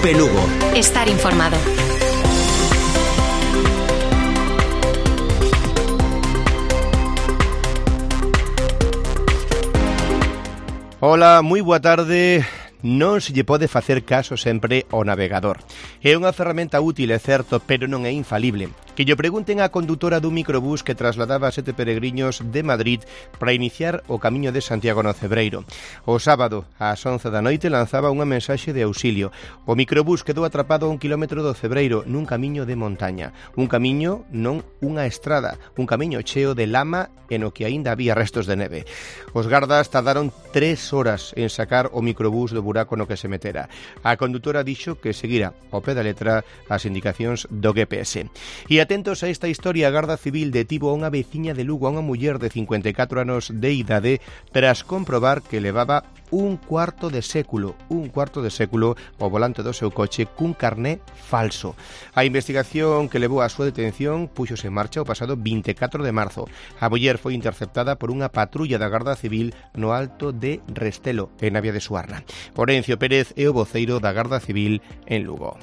Teleelche Lugo. Estar informado. Hola, moi boa tarde. Non se lle pode facer caso sempre ao navegador. É unha ferramenta útil, é certo, pero non é infalible. Que lle pregunten á condutora dun microbús que trasladaba a 7 peregriños de Madrid para iniciar o camiño de Santiago no Cebreiro. O sábado, ás 11 da noite, lanzaba unha mensaxe de auxilio. O microbús quedou atrapado a 1 kilómetro do Cebreiro nun camiño de montaña. Un camiño, non unha estrada. Un camiño cheo de lama e no que aínda había restos de neve. Os gardas tardaron 3 horas en sacar o microbús do buraco no que se metera. A condutora dixo que seguira ao pé da letra as indicacións do GPS. E atentos a esta historia, a Garda Civil detivo a unha veciña de Lugo, a unha muller de 54 anos de idade, tras comprobar que levaba un cuarto de século ao volante do seu coche cun carné falso. A investigación que levou á súa detención puxose en marcha o pasado 24 de marzo. A muller foi interceptada por unha patrulla da Garda Civil no Alto de Restelo, en Navia de Suarna. Orencio Pérez é o voceiro da Garda Civil en Lugo.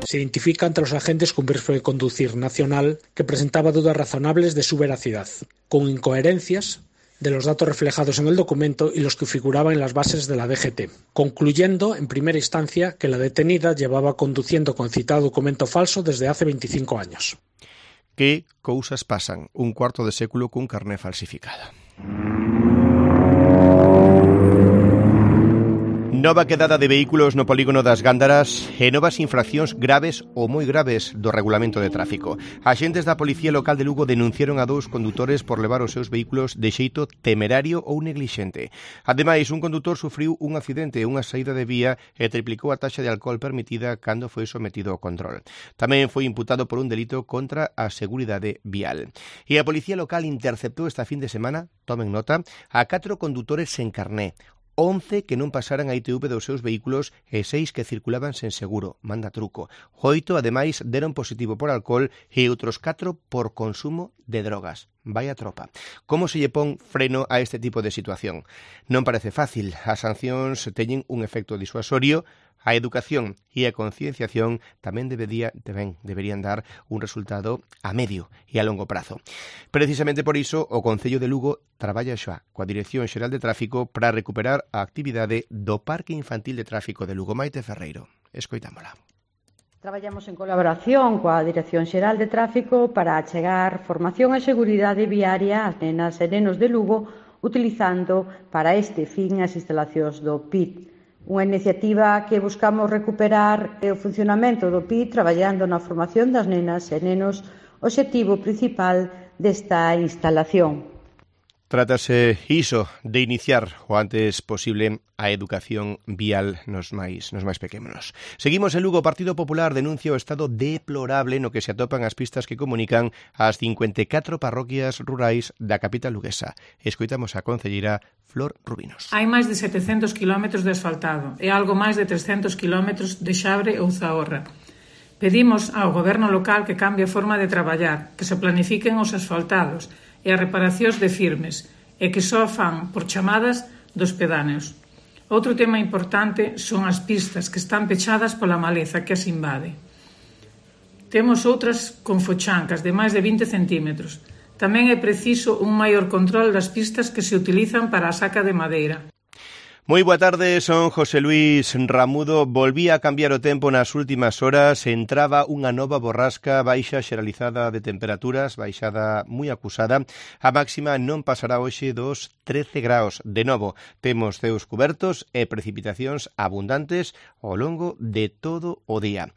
Se identifica entre los agentes con permiso de conducir nacional que presentaba dudas razonables de su veracidad, con incoherencias de los datos reflejados en el documento y los que figuraban en las bases de la DGT, concluyendo en primera instancia que la detenida llevaba conduciendo con citado documento falso desde hace 25 años. Que cousas pasan un cuarto de século cun carné falsificado. Nova quedada de vehículos no polígono das Gándaras e novas infraccións graves ou moi graves do regulamento de tráfico. Axentes da Policía Local de Lugo denunciaron a 2 condutores por levar os seus vehículos de xeito temerario ou neglixente. Ademais, un condutor sufriu un accidente e unha saída de vía e triplicou a taxa de alcohol permitida cando foi sometido ao control. Tamén foi imputado por un delito contra a seguridade vial. E a Policía Local interceptou esta fin de semana, tomen nota, a 4 condutores sen carné, 11 que non pasaran a ITV dos seus vehículos e 6 que circulaban sen seguro, manda truco. 8, ademais, deron positivo por alcohol e outros 4 por consumo de drogas. Vaya tropa. Como se lle pon freno a este tipo de situación? Non parece fácil. As sancións teñen un efecto disuasorio. A educación e a concienciación tamén deberían dar un resultado a medio e a longo prazo. Precisamente por iso, o Concello de Lugo traballa xa coa Dirección Xeral de Tráfico para recuperar a actividade do Parque Infantil de Tráfico de Lugo. Maite Ferreiro, escoitámola. Traballamos en colaboración coa Dirección Xeral de Tráfico para achegar formación e seguridade viaria ás nenas e nenos de Lugo utilizando para este fin as instalacións do PIT. Unha iniciativa que buscamos recuperar o funcionamento do PIT traballando na formación das nenas e nenos, obxectivo principal desta instalación. Trátase iso de iniciar o antes posible a educación vial nos máis pequenos. Seguimos en Lugo. O Partido Popular denuncia o estado deplorable no que se atopan as pistas que comunican as 54 parroquias rurais da capital luguesa. Escoitamos a concelleira Flor Rubinos. Hai máis de 700 kilómetros de asfaltado e algo máis de 300 kilómetros de Xabre ou Zahorra. Pedimos ao goberno local que cambie a forma de traballar, que se planifiquen os asfaltados e as reparacións de firmes, e que só fan por chamadas dos pedáneos. Outro tema importante son as pistas que están pechadas pola maleza que as invade. Temos outras con fochancas de máis de 20 centímetros. Tamén é preciso un maior control das pistas que se utilizan para a saca de madeira. Moi boa tarde, son José Luis Ramudo. Volvía a cambiar o tempo nas últimas horas. Entraba unha nova borrasca, baixa xeralizada de temperaturas, baixada moi acusada. A máxima non pasará hoxe dos 13 graus. De novo, temos ceos cubertos e precipitacións abundantes ao longo de todo o día.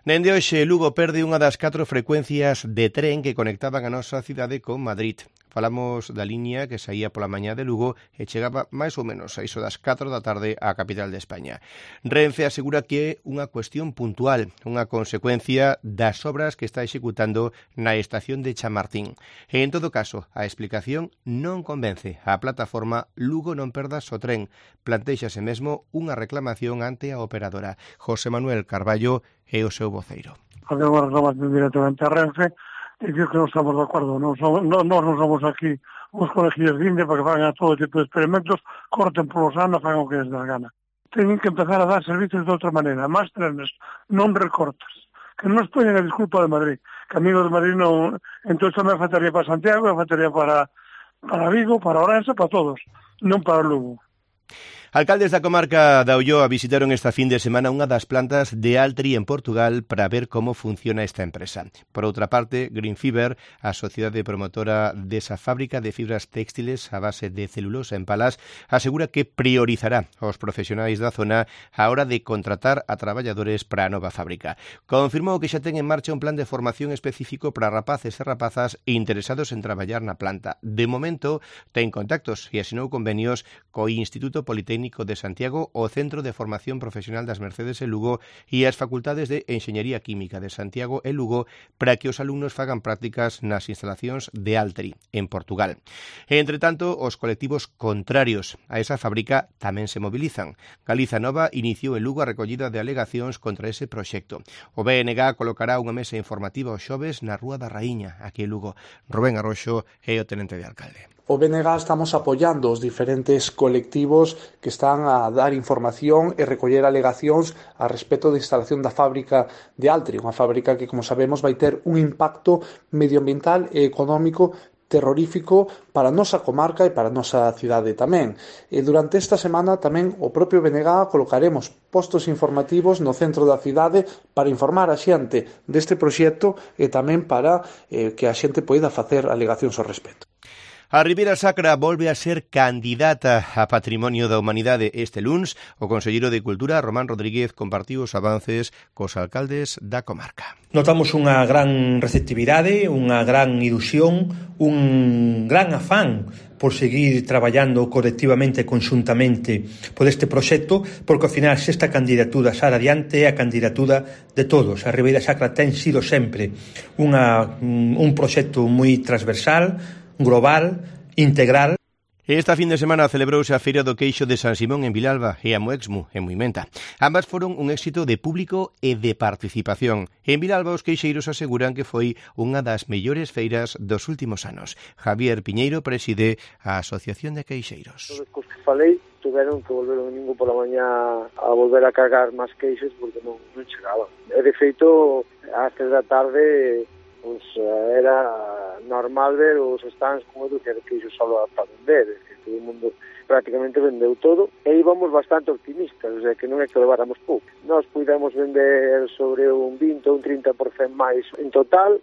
Dende hoxe, Lugo perde unha das 4 frecuencias de tren que conectaban a nosa cidade con Madrid. Falamos da liña que saía pola mañá de Lugo e chegaba máis ou menos a iso das 4 da tarde á capital de España. Renfe asegura que é unha cuestión puntual, unha consecuencia das obras que está executando na estación de Chamartín. E, en todo caso, a explicación non convence. A plataforma Lugo non perdas o tren. Plantéxase mesmo unha reclamación ante a operadora. José Manuel Carballo é o seu voceiro. Había unha reclamación directamente a Renfe e digo que non estamos de acordo. Nós non somos aquí uns colegios de India para que fagan todo tipo de experimentos, corten polos anos, fagan o que les dá a gana. teñen que empezar a dar servicios de outra maneira, máis trenes, non recortes, que non nos poñen a desculpa de Madrid, que amigos de Madrid non, entón tamén faltaría para Santiago, faltaría para Vigo, para Ourense, para todos, non para Lugo. Alcaldes da comarca da Ulloa visitaron esta fin de semana unha das plantas de Altri en Portugal para ver como funciona esta empresa. Por outra parte, Green Fiber, a sociedade promotora desa fábrica de fibras textiles a base de celulosa en Palas, asegura que priorizará aos profesionais da zona a hora de contratar a traballadores para a nova fábrica. Confirmou que xa ten en marcha un plan de formación específico para rapaces e rapazas interesados en traballar na planta. De momento, ten contactos e asinou convenios co Instituto Politécnico de Santiago, o Centro de Formación Profesional das Mercedes en Lugo e as Facultades de Enxeñería Química de Santiago e Lugo para que os alumnos fagan prácticas nas instalacións de Altri, en Portugal. E, entre tanto, os colectivos contrarios a esa fábrica tamén se mobilizan. Galiza Nova iniciou en Lugo a recollida de alegacións contra ese proxecto. O BNG colocará unha mesa informativa os xoves na Rúa da Raíña, aquí en Lugo. Rubén Arroxo é o tenente de alcalde. O BNG estamos apoiando os diferentes colectivos que están a dar información e recoller alegacións a respecto da instalación da fábrica de Altri, unha fábrica que, como sabemos, vai ter un impacto medioambiental e económico terrorífico para a nosa comarca e para a nosa cidade tamén. E durante esta semana tamén o propio BNG colocaremos postos informativos no centro da cidade para informar a xente deste proxecto e tamén para que a xente poida facer alegacións ao respecto. A Ribeira Sacra volve a ser candidata a Patrimonio da Humanidade este luns. O conselleiro de Cultura, Román Rodríguez, compartiu os avances cos alcaldes da comarca. Notamos unha gran receptividade, unha gran ilusión, un gran afán por seguir traballando colectivamente e conxuntamente por este proxecto, porque ao final se esta candidatura sale adiante é a candidatura de todos. A Ribeira Sacra ten sido sempre un proxecto moi transversal, global, integral. Esta fin de semana celebrouse a Feira do Queixo de San Simón en Vilalba e a Moexmu en Muimenta. Ambas foron un éxito de público e de participación. En Vilalba os queixeiros aseguran que foi unha das mellores feiras dos últimos anos. Javier Piñeiro preside a Asociación de Queixeiros. Os que falei tuveron que volver o domingo pola mañá a volver a cargar máis queixos porque non chegaban. E de feito, ás 3 da tarde pues era normal ver os stands como dúcia de queixos só para vender, que todo o mundo prácticamente vendeu todo e íbamos bastante optimistas, o sea que non é que leváramos pouco. Nós pudemos vender sobre un 20 ou un 30% máis en total.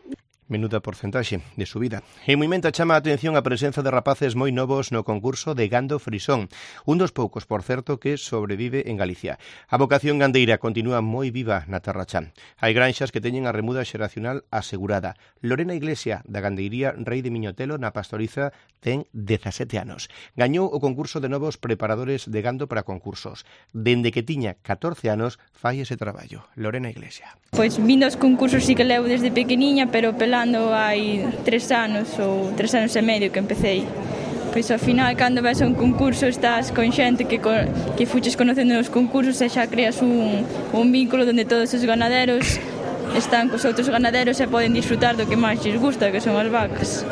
Menuda porcentaxe de subida. En Muimenta chama a atención a presenza de rapaces moi novos no concurso de gando frisón, un dos poucos, por certo, que sobrevive en Galicia. A vocación gandeira continúa moi viva na Terra Chá. Hai granxas que teñen a remuda xeracional asegurada. Lorena Iglesia, da gandeiría Rei de Miñotelo, na Pastoriza, ten 17 anos. Gañou o concurso de novos preparadores de gando para concursos. Dende que tiña 14 anos, fai ese traballo. Lorena Iglesia. Pois vindo aos concursos sí que levo desde pequeniña, pero pelando hai 3 anos ou 3 anos e medio que empecé. Pois ao final, cando vas a un concurso, estás con xente que fuches conocendo nos concursos e xa creas un vínculo onde todos os ganaderos están cos outros ganaderos e poden disfrutar do que máis lles gusta, que son as vacas.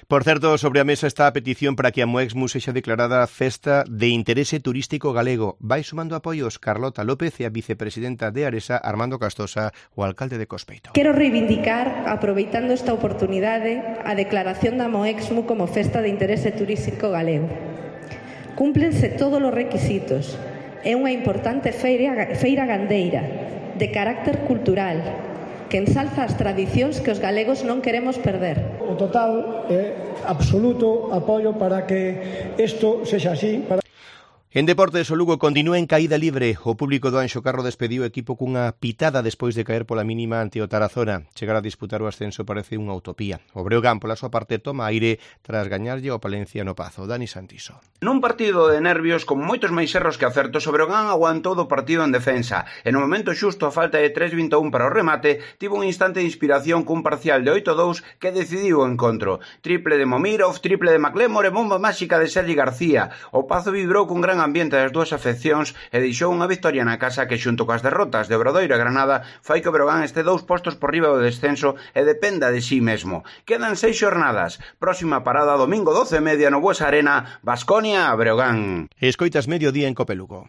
Por certo, sobre a mesa está a petición para que a Moexmu sexa declarada festa de interese turístico galego. Vai sumando apoios Carlota López e a vicepresidenta de Aresa, Armando Castosa, o alcalde de Cospeito. Quero reivindicar, aproveitando esta oportunidade, a declaración da Moexmu como festa de interese turístico galego. Cúmplense todos os requisitos. É unha importante feira gandeira, de carácter cultural, que ensalza as tradicións que os galegos non queremos perder. O total é absoluto apoio para que isto sexa así. En deportes, o Lugo continúa en caída libre. O público do Anxo Carro despediu o equipo cunha pitada despois de caer pola mínima ante o Tarazona. Chegar a disputar o ascenso parece unha utopía. O Breogán, pola súa parte, toma aire tras gañarlle ao Palencia no Pazo. Dani Santiso. Nun partido de nervios, con moitos máis erros que acertos, o Breogán aguantou do partido en defensa. E no momento xusto, a falta de 3:21 para o remate, tivo un instante de inspiración cun parcial de 8-2 que decidiu o encontro. Triple de Momirov, triple de McLemore e bomba máxica de Sergi García. O Pazo vibrou cun gran ambiente das dúas afeccións e deixou unha victoria na casa que, xunto coas derrotas de Obradoiro e Granada, fai que o Breogán este 2 postos por riba do descenso e dependa de sí mesmo. Quedan 6 xornadas. Próxima parada domingo 12:30 no Buesa Arena, Baskonia a Breogán. Escoitas Mediodía en Copelugo.